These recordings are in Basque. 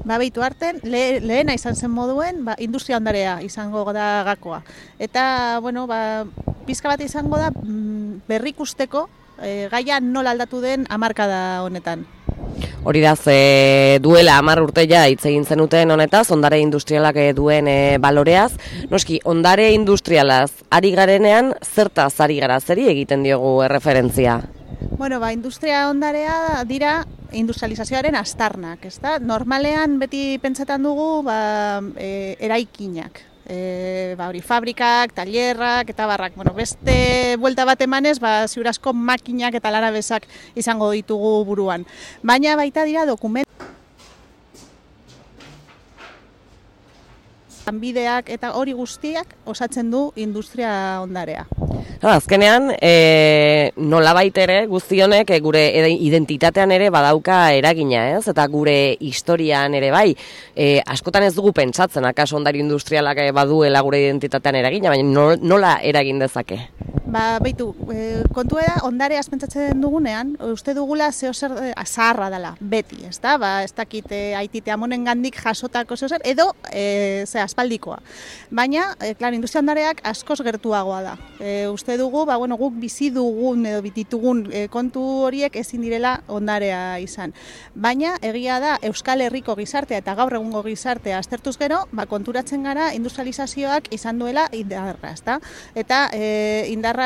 Beitu arten, lehena izan zen moduen, industria ondarea izango da gakoa. Eta, bueno, pizka bat izango da berrikusteko gaia nola aldatu den hamarkada honetan. Hori da, duela 10 urte ja hitz egin zenuten honetaz, ondare industrialak duen baloreaz. Noski, ondare industrialaz ari garenean, zertaz ari gara, zeri egiten diogu erreferentzia? Bueno, industria ondarea dira industrializazioaren astarnak, ezta? Normalean beti pentsetan dugu eraikinak. Hori fabrikak, tailerrak eta barrak. Bueno, beste buelta bat emanez, ziur asko makinak eta lanabesak izango ditugu buruan. Baina baita dira lanbideak eta hori guztiak osatzen du industria ondarea. Azkenean, nolabait ere guzti honek gure identitatean ere badauka eragina, ez? Eta gure historian ere bai. Askotan ez dugu pentsatzen, akaso ondare industrialak baduela gure identitatean eragina, baina nola eragin dezake? Beitu, kontua da, ondare pentsatzen dugunean, uste dugula zeozer zaharra dela, beti, ez da? Ez dakit aitite amonen gandik jasotako zeozer, edo aspaldikoa. Baina, industria ondareak askoz gertuagoa da. Uste dugu, guk bizi dugun edo bititugun kontu horiek ezin direla ondarea izan. Baina, egia da, Euskal Herriko gizartea eta gaur egungo gizartea aztertuz gero, konturatzen gara industrializazioak izan duela indarra, ez da? Eta indarra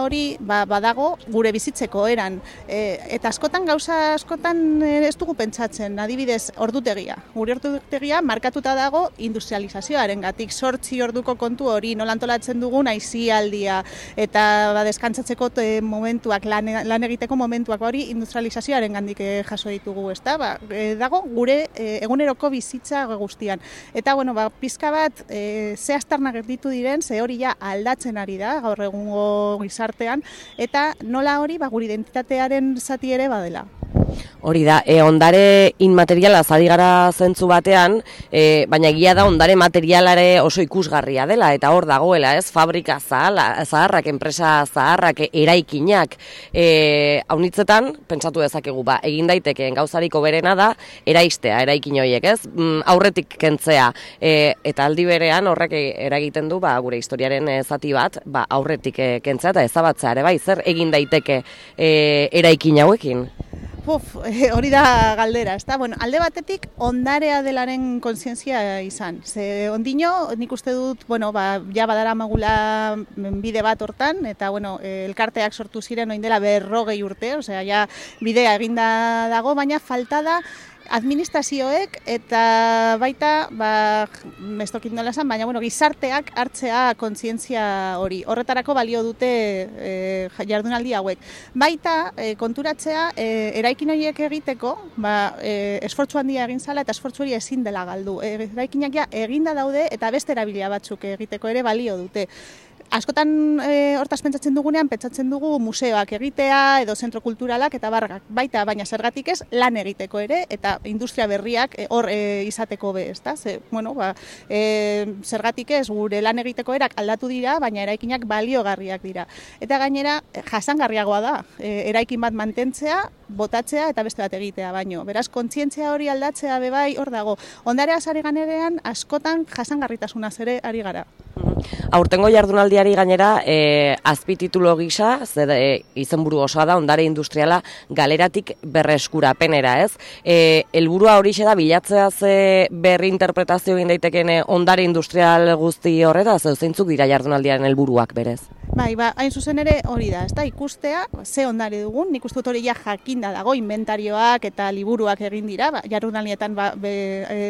hori badago gure bizitzeko eran. Eta askotan ez dugu pentsatzen, adibidez, ordutegia. Gure ordutegia markatuta dago industrializazioaren gatik, 8 orduko kontu hori, nola antolatzen dugun aisialdia, eta deskantzatzeko momentuak, lan egiteko momentuak, hori industrializazioaren gandik jaso ditugu, ez da? Dago gure eguneroko bizitza guztian. Eta, pizka bat, ze astarnak gertitu diren, ze hori ja aldatzen ari da, gaur egungo gizartean, eta nola hori gure identitatearen zati ere badela. Hori da, ondare inmateriala zadi gara zentzu batean, baina egia da ondare materialare oso ikusgarria dela, eta hor dagoela, ez, fabrika zaharrak, enpresa zaharrak, eraikinak, haunitzetan, pentsatu dezakegu, egin daitekeen gauzariko berena da, eraistea, eraikin horiek, ez, aurretik kentzea, eta aldi berean horrek eragiten du, gure historiaren zati bat, aurretik kentzea eta ezabatzea ere, zer egin daiteke eraikin hauekin? Hori da galdera, ezta? Alde batetik ondarea delaren kontzientzia izan. Ze ondino, nik uste dut, ja badara magula bide bat hortan, eta elkarteak sortu ziren oin dela 40 urte, osea, ja bidea eginda dago, baina falta da administrazioek eta baita, ez dokit nola esan, baina gizarteak hartzea kontzientzia hori. Horretarako balio dute jardunaldi hauek. Baita konturatzea eraikin horiek egiteko, esfortzu handia egin zala eta esfortzu hori ezin dela galdu. Eraikinak ja eginda daude eta beste erabilia batzuk egiteko ere balio dute. Askotan hortaz pentsatzen dugunean, pentsatzen dugu museoak egitea edo zentro kulturalak eta barrak baita, baina zergatik ez lan egiteko ere eta industria berriak hor izateko be, ezta? Zergatik ez gure lan egiteko erak aldatu dira, baina eraikinak baliogarriak dira. Eta gainera jasangarriagoa da, eraikin bat mantentzea, botatzea eta beste bat egitea baino. Beraz, kontzientzia hori aldatzea bebai hor dago. Ondarea ari ganerean askotan jasangarritasunaz ere ari gara. Aurtengo jardunaldiari gainera azpititulo gisa, izenburu osoa da, ondare industriala galeratik berreskurapenera, ez? Helburua horixe da bilatzea ze berri interpretazio egin daiteken ondare industrial guzti horretaz, zeintzuk dira jardunaldiaren helburuak berez? Hain zuzen ere hori da, ezta? Ikustea, ze ondare dugun, nik uste dut hori ja jakinda dago, inventarioak eta liburuak egin dira, jardunaldietan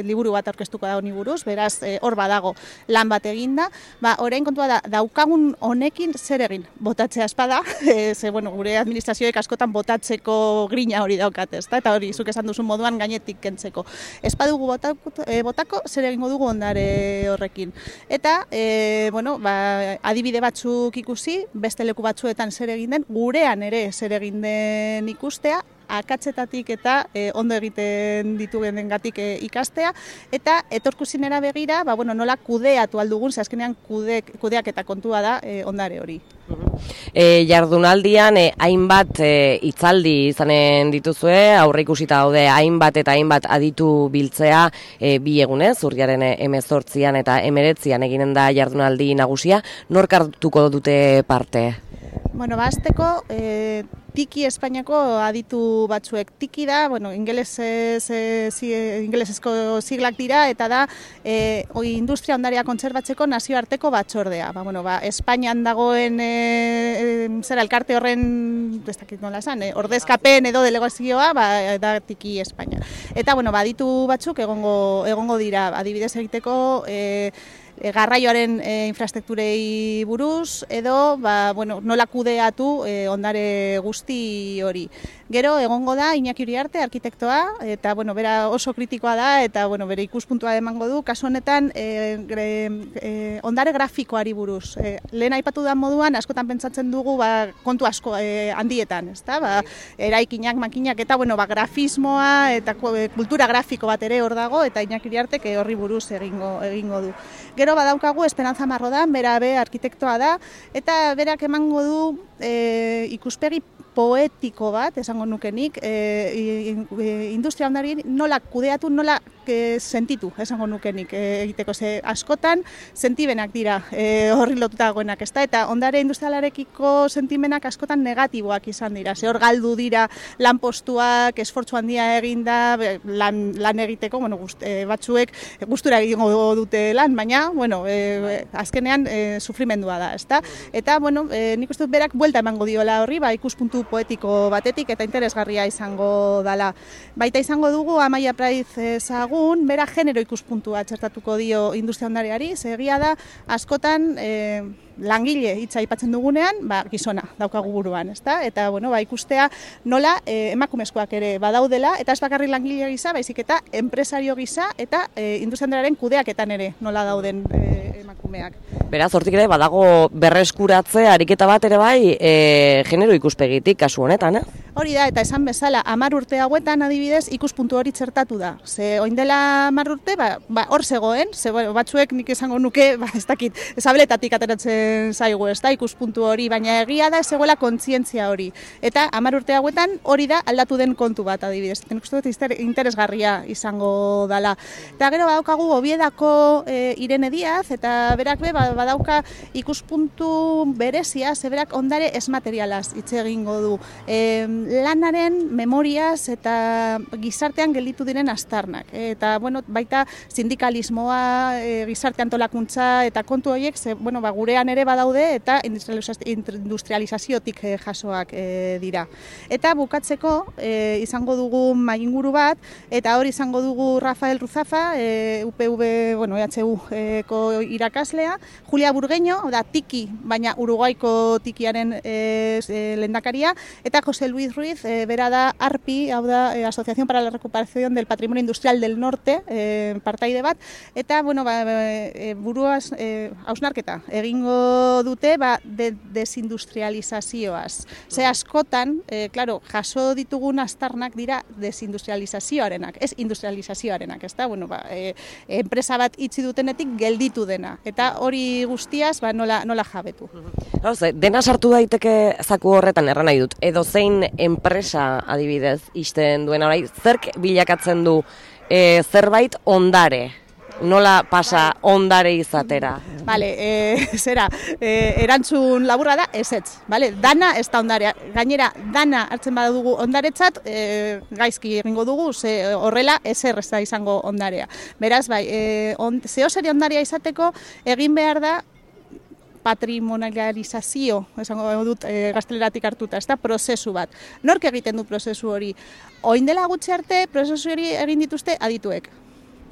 liburu bat aurkeztuko da honi buruz, beraz hor badago lan bat eginda, orain kontua da, daukagun honekin zer egin, botatzea espada, gure administrazioek askotan botatzeko grina hori daukat, ezta? Eta hori, zuk esan duzun moduan gainetik kentzeko. Espadugu botako, zer egingo dugu ondare horrekin. Eta, adibide batzuk ikusi, beste leku batzuetan zer egin den, gurean ere zer egin den ikustea, akatzetatik eta ondo egiten ditugengatik ikastea, eta etorkuzinera begira, nola kudeatu aldugun, ze azkenean kudeak eta kontua da ondare hori. Jardunaldian hainbat hitzaldi izanen dituzue, aurreikusita daude hainbat eta hainbat aditu biltzea bi egunez, urriaren 18an eta 19an eginen da jardunaldi nagusia. Nork hartuko dute parte? Bueno, hasteko Tiki Espainiako aditu batzuek. Tiki da, ingelesezko siglak dira, eta da industria ondarea kontserbatzeko nazioarteko batzordea. Espainian dagoen elkarte horren, ez dakit nola esan, ordezkapen edo delegazioa, da Tiki Espainia. Eta, aditu batzuk egongo dira, adibidez egiteko, garraioaren infrastrukturei buruz, edo nola kudeatu ondare guzti hori. Gero egongo da Iñaki Uriarte, arkitektoa, eta bera oso kritikoa da, eta bere ikuspuntua emango du, kasu honetan ondare grafikoari buruz. Lehen aipatu da moduan, askotan pentsatzen dugu kontu asko handietan, ezta? Eraikinak, makinak, eta grafismoa eta kultura grafiko bat ere hor dago, eta Iñaki Uriartek horri buruz egingo du. Gero badaukagu Esperanza Marrodan, bera arkitektoa da, eta berak emango du ikuspegi poetiko bat, esango nukenik, industria ondari nola kudeatu, nola sentitu, esango nukenik egiteko. Askotan sentibenak dira horri lotuta dagoenak, ezta? Eta ondare industrialarekiko sentimenak askotan negatiboak izan dira. Hor galdu dira lanpostuak, esfortzu handia eginda, lan egiteko, batzuek gustura egingo dute lan, baina, azkenean sufrimendua da, ezta? Eta, nik uste dut berak buelta emango diola horri, ikuspuntu poetiko batetik eta interesgarria izango dala. Baita izango dugu Amaia Praiz Zagun, bera genero ikuspuntua txertatuko dio industria ondareari, egia da askotan langile hitza aipatzen dugunean, gizona daukagu buruan, ezta? Eta ikustea nola emakumezkoak ere badaudela, eta ez bakarrik langile gisa, baizik eta enpresario gisa eta industria ondarearen kudeaketan ere nola dauden emakumeak. Beraz, hortik ere badago berreskuratze ariketa bat ere bai genero ikuspegitik kasu honetan, Hori da, eta esan bezala, 10 urte hauetan adibidez ikuspuntu hori txertatu da. Orain dela 10 urte, hor zegoen, batzuek nik esango nuke, ez dakit, zabeletatik ateratzen zaigu, ez da, ikuspuntu hori, baina egia da ez zegoela kontzientzia hori. Eta 10 urte hauetan hori da aldatu den kontu bat adibidez. Nik uste dut interesgarria izango dala. Eta gero badaukagu Oviedako Irene Díaz, eta berak badauka ikuspuntu berezia, berak ondare esmaterialaz hitz egingo du. Lanaren memoriaz eta gizartean gelditu diren aztarnak. Eta baita sindikalismoa, gizarte antolakuntza eta kontu horiek gurean ere badaude eta industrializaziotik jasoak dira. Eta bukatzeko izango dugu mainguru bat, eta hori izango dugu Rafael Ruzafa, UPV, EHU-ko irakaslea, Julia Burgueño, da Tiki, baina Uruguaiko Tikiaren lehendakaria, eta José Luis Ruiz, bera da ARPI, hau da Asociación para la Recuperación del Patrimonio Industrial del Norte, partaide bat, eta buruaz hausnarketa egingo dute desindustrializazioaz. Askotan, jaso ditugun aztarnak dira desindustrializazioarenak, ez industrializazioarenak, ez da, enpresa bat itzi dutenetik gelditu dena, eta hori guztiaz nola jabetu. Dena sartu daiteke zaku horretan erran nahi dut, edo zein enpresa adibidez ixten duen orai, zerk bilakatzen du zerbait ondare? Nola pasa ondare izatera? Erantzun laburra da, ezetz. Dana ez da ondarea. Gainera, dana hartzen badugu ondaretzat, gaizki egingo dugu, horrela ezer ez da izango ondarea. Beraz, zehoseri ondarea izateko, egin behar da patrimonializazio, esango dut gazteleratik hartuta, ez da prozesu bat. Nork egiten du prozesu hori? Orain dela gutxi arte, prozesu hori egin dituzte adituek.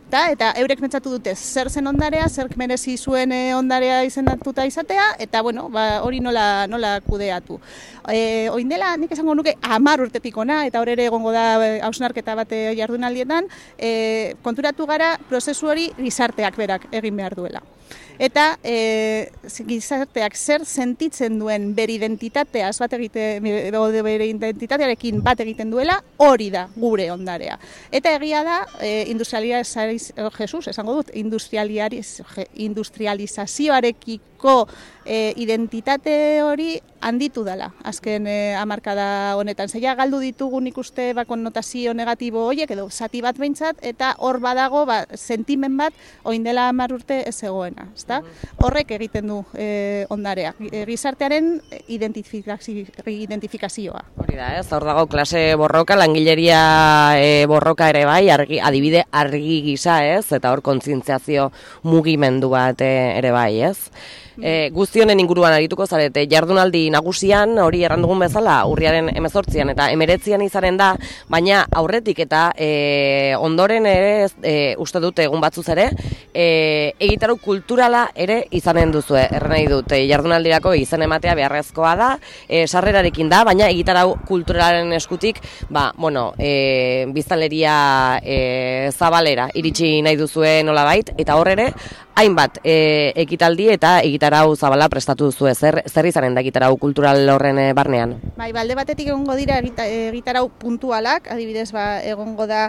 Eta eurek pentsatu dute zer zen ondarea, zer merezi zuen ondarea izendatuta izatea, eta hori nola kudeatu. Orain dela, nik esango nuke 10 urtetik hona, eta hor ere egongo da hausnarketa bat jardunaldietan, konturatu gara prozesu hori gizarteak berak egin behar duela. Eta gizarteak zer sentitzen duen bere identitateaz bere identitatearekin bat egiten duela, hori da gure ondarea. Eta egia da, industrializazioarekiko Euskalduneko identitate hori handitu dela, azken hamarkada honetan. Zeia galdu ditugu nik uste konnotazio negatibo horiek, edo zati bat behintzat, eta hor badago sentimen bat oin dela 10 urte ez egoena. Horrek egiten du ondarea, gizartearen identifikazioa. Hori da, ez, hor dago klase borroka, langileria borroka ere bai, adibide argi gisa, ez, eta hor kontzientziazio mugimendu bat ere bai, ez. Guztionen inguruan arituko zarete, jardunaldi nagusian, hori errandugun bezala, urriaren 18an eta 19an izanen da, baina aurretik eta ondoren ere, uste dut egun batzuz ere, egitarau kulturala ere izanen duzue, erren nahi dut, jardunaldirako izen ematea beharrezkoa da, sarrerarekin da, baina egitarau kulturalaren eskutik, biztanleria zabalera iritsi nahi duzue nolabait, eta hor ere, hainbat ekitaldi eta egitarau zabala prestatu duzue. Zer izanen da egitarau kultural horren barnean? Bai, alde batetik egongo dira egitarau puntualak, adibidez egongo da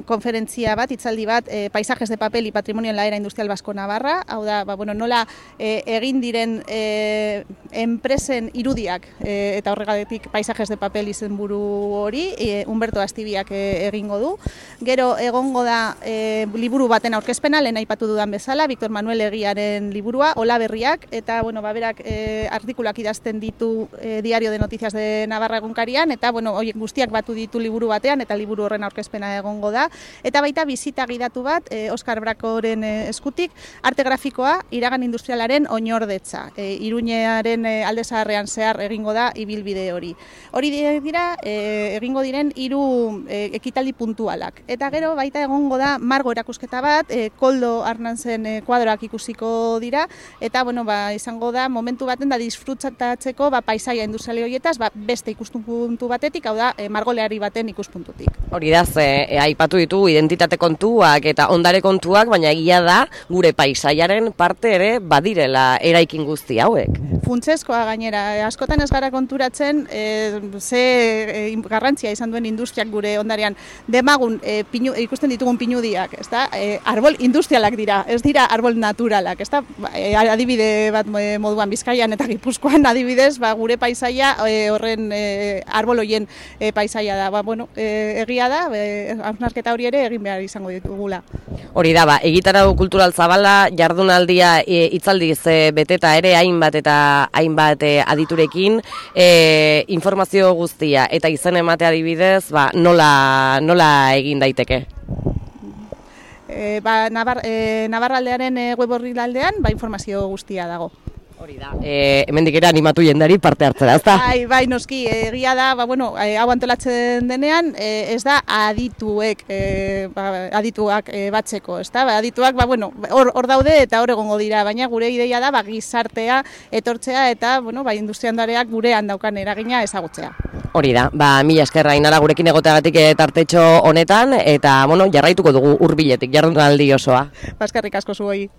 konferentzia bat, hitzaldi bat, paisajes de papel y patrimonio en la era industrial vasco Navarra, hau da, nola egin diren enpresen irudiak, eta horregatik paisajes de papel izenburu hori, Humberto Astibiak egingo du. Gero egongo da liburu baten aurkezpena, lehen aipatu dudan bezala, Victor Manuel Egiaren liburua, Ola Berriak, eta berak artikulak idazten ditu Diario de Noticias de Navarra egunkarian, eta horiek guztiak batu ditu liburu batean, eta liburu horren aurkezpena egongo da, eta baita bizita gidatu bat, Oskar Brakoren eskutik, arte grafikoa, iragan industrialaren oinordetza, Iruñearen alde zaharrean zehar egingo da ibilbide hori. Hori dira, egingo diren 3 ekitaldi puntualak, eta gero baita egongo da margo erakusketa bat, Koldo Arnantzen kuadroak ikusiko dira, eta izango da momentu baten da disfrutatzeko paisaia industriali horietaz beste ikuspuntu batetik, hau da margoleari baten ikuspuntutik. Hori da, aipatu ditugu identitate kontuak eta ondare kontuak, baina egia da gure paisaiaren parte ere badirela eraikin guzti hauek. Funtsezkoa gainera, askotan ez gara konturatzen ze garrantzia izan duen industriak gure ondarean. Demagun ikusten ditugun pinudiak, arbol industrialak dira, ez dira arbol naturalak, adibide bat moduan Bizkaian eta Gipuzkoan adibidez, gure paisaia horren arbol horien paisaia da. Egia da, hausnarketa hori ere egin behar izango ditugula. Hori da, egitarau kultural zabala, jardunaldia hitzaldiz beteta ere hainbat aditurekin, informazio guztia eta izen emate adibidez, nola egin daiteke? Navarraldearen web orrialdean informazio guztia dago. Hori da, hemendik ere animatu jendari parte hartzera, ezta? Bai, noski, egia da, hau antolatzen denean, ez da adituak batzeko, ezta? Adituak, hor daude eta hor egongo dira, baina gure ideia da, gizartea etortzea eta, industriandareak gurean daukan eragina ezagutzea. Hori da, mila esker Ainara gurekin egoteagatik tartetxo honetan, eta, jarraituko dugu hurbiletik, jardunaldi osoa. Eskerrik asko zuoi.